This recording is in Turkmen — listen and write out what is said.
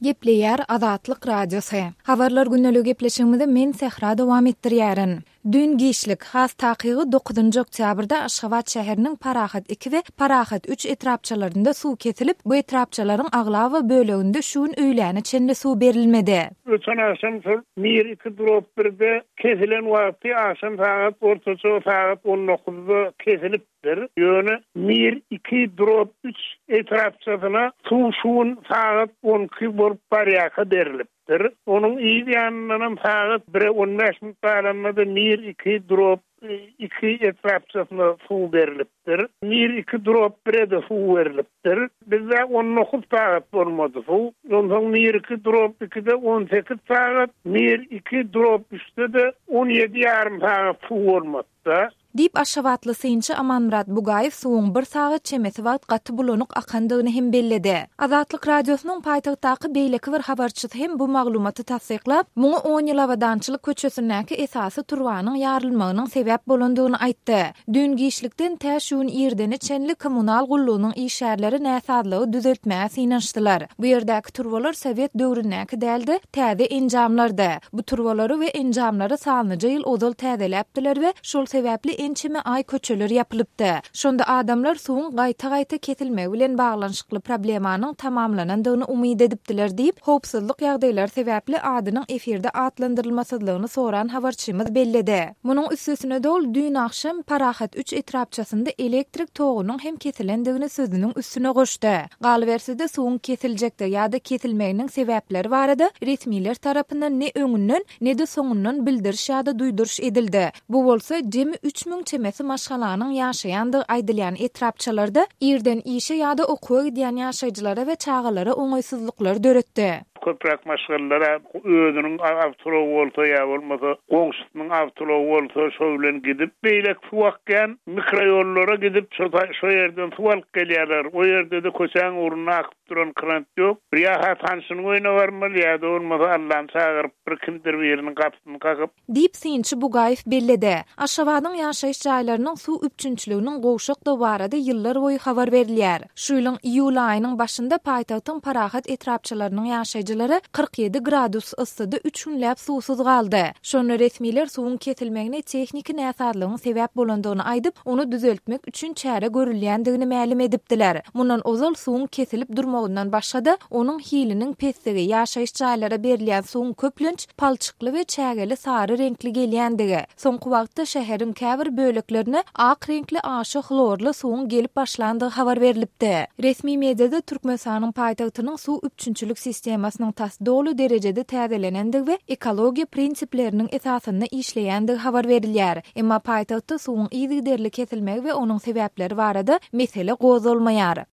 Gepleýär Azatlyk Radiosy. Habarlar gündeligi gepleşigimizi men Sähra dowam etdirýärin. Düýn giçlik, has takygy dokuzynjy oktýabrda Aşgabat şäheriniň Parahat iki we Parahat üç etrapçalarynda suw kesilip, bu etrapçalaryň aglaba böleginde şu gün öýläne çenli suw berilmedi. Öten agşam şol Mir iki drop birde kesilen wagty agşam sagat ortaça sagat on dokuzda kesilipdir. Ýöne Mir iki drop üç etrapçasyna suw şu gün sagat on iki bolup barýarka berlipdir. Onuň yz ýanyndanam sagat bire on bäş minut galanda-da Mir iki drop iki etrapçasyna suw berlipdir. Mir iki drop bire-de suw berlipdir. Bizde on dokuz sagat bolmady suw. Onsoň Mir iki drop ikide on sekiz sagat, Mir iki drop üçde-de on ýedi ýarym sagat suw bolmady-da. Diýip, aşgabatly synçy Amanmyrat Bugaýew suwuň bir sagat çemesi wagt gaty bulanyk akandygyny hem belledi. Azatlyk Radiosynyň paýtagtdaky beýleki bir habarçysy hem bu maglumaty tassyklap, muňa on ýyl Abadançylyk köçesindäki esasy turbanyň ýarylmagynyň sebäp bolandygyny aýtdy. Düýn giçlikden tä şu gün irdene çenli kommunal gullugynyň işgärleri näsazlygy düzeltmäge synanyşdylar. Bu ýerdäki turbalar sowet döwründäki däl-de, täze enjamlardy. Bu turbalary we enjamlary sanlyja ýyl ozal täzeläpdiler we şol sebäpli ençeme aý köçeler ýapylypdy. Şonda adamlar suwuň gaýta-gaýta kesilmegi bilen baglanyşykly problemanyň tamamlanandygyny umyt edipdiler diýip, howpsuzlyk ýagdaýlary sebäpli adynyň efirde atlandyrylmasyzlygyny soran habarçymyz belledi. Munuň üstesine-de ol düýn agşam Parahat üç etrapçasynda elektrik togunyň hem kesilendigini sözüniň üstüne goşdy. Galyberse-de, suwuň kesiljekdigi ýa-da kesilmeginiň sebäpleri barada resmiler tarapyndan ne öňünden, ne-de soňundan bildiriş ýa-da duýduryş edildi. Bu bolsa, jemi 3000 çemesi maşgalanyň ýaşaýandygy aýdylýan etrapçalarda irden işe ýa-da okuwa gidýän ýaşaýjylara we çagalara oňaýsyzlyklary döretdi. Köpräk maşgalalara özüniň awtoulagy bolsa ýa bolmasa goňşusynyň awtoulagy bolsa şo bilen gidip, beýleki suw akýan mikroýollara gidip şo şo ýerden suw alyp gelýärler. O ýerde-de köçäň ugrunda akyp duran krant ýok. Bir ýa-ha tanşynyň öýüne barmaly ýa-da bolmasa Allany çagyryp bir kimdir biriniň gapysyny kakyp, Diýip, synçy Bugaýew belledi. Aşgabadyň ýaşaýyş jaýlarynyň suw üpjünçiliginiň gowşakdygy barada ýyllar boýy habar berilýär. Şu ýylyň iýul aýynyň başynda paýtagtyň Parahat etrapçalarynyň ýaşaýjylary 47 gradus yssyda üç günläp suwsuz galdy. Şonda resmiler suwuň kesilmegine tehniki näsazlygyň sebäp bolandygyny aýdyp, ony düzeltmek üçin çäre görülýändigini mälim edipdiler. Mundan ozal suwuň kesilip durmagyndan başga-da, onuň hiliniň pesdigi, ýaşaýyş jaýlara berilýän suwuň köplenç palçykly we çägeli sary reňkli gelýändigi, soňky wagtda şäheriň käbir böleklerine ak reňkli aşa hlorly suwuň gelip başlandygy habar berlipdi. Resmi mediada Türkmenistanyň paýtagtynyň suw üpjünçilik sistemasynyň tas doly derejede täzelenendigi we ekologiýa prinsipleriniň esasynda işleýändigi habar berilýär. Emma paýtagtda suwuň yzygiderli kesilmegi we onuň sebäpleri barada mesele gozgalmaýar.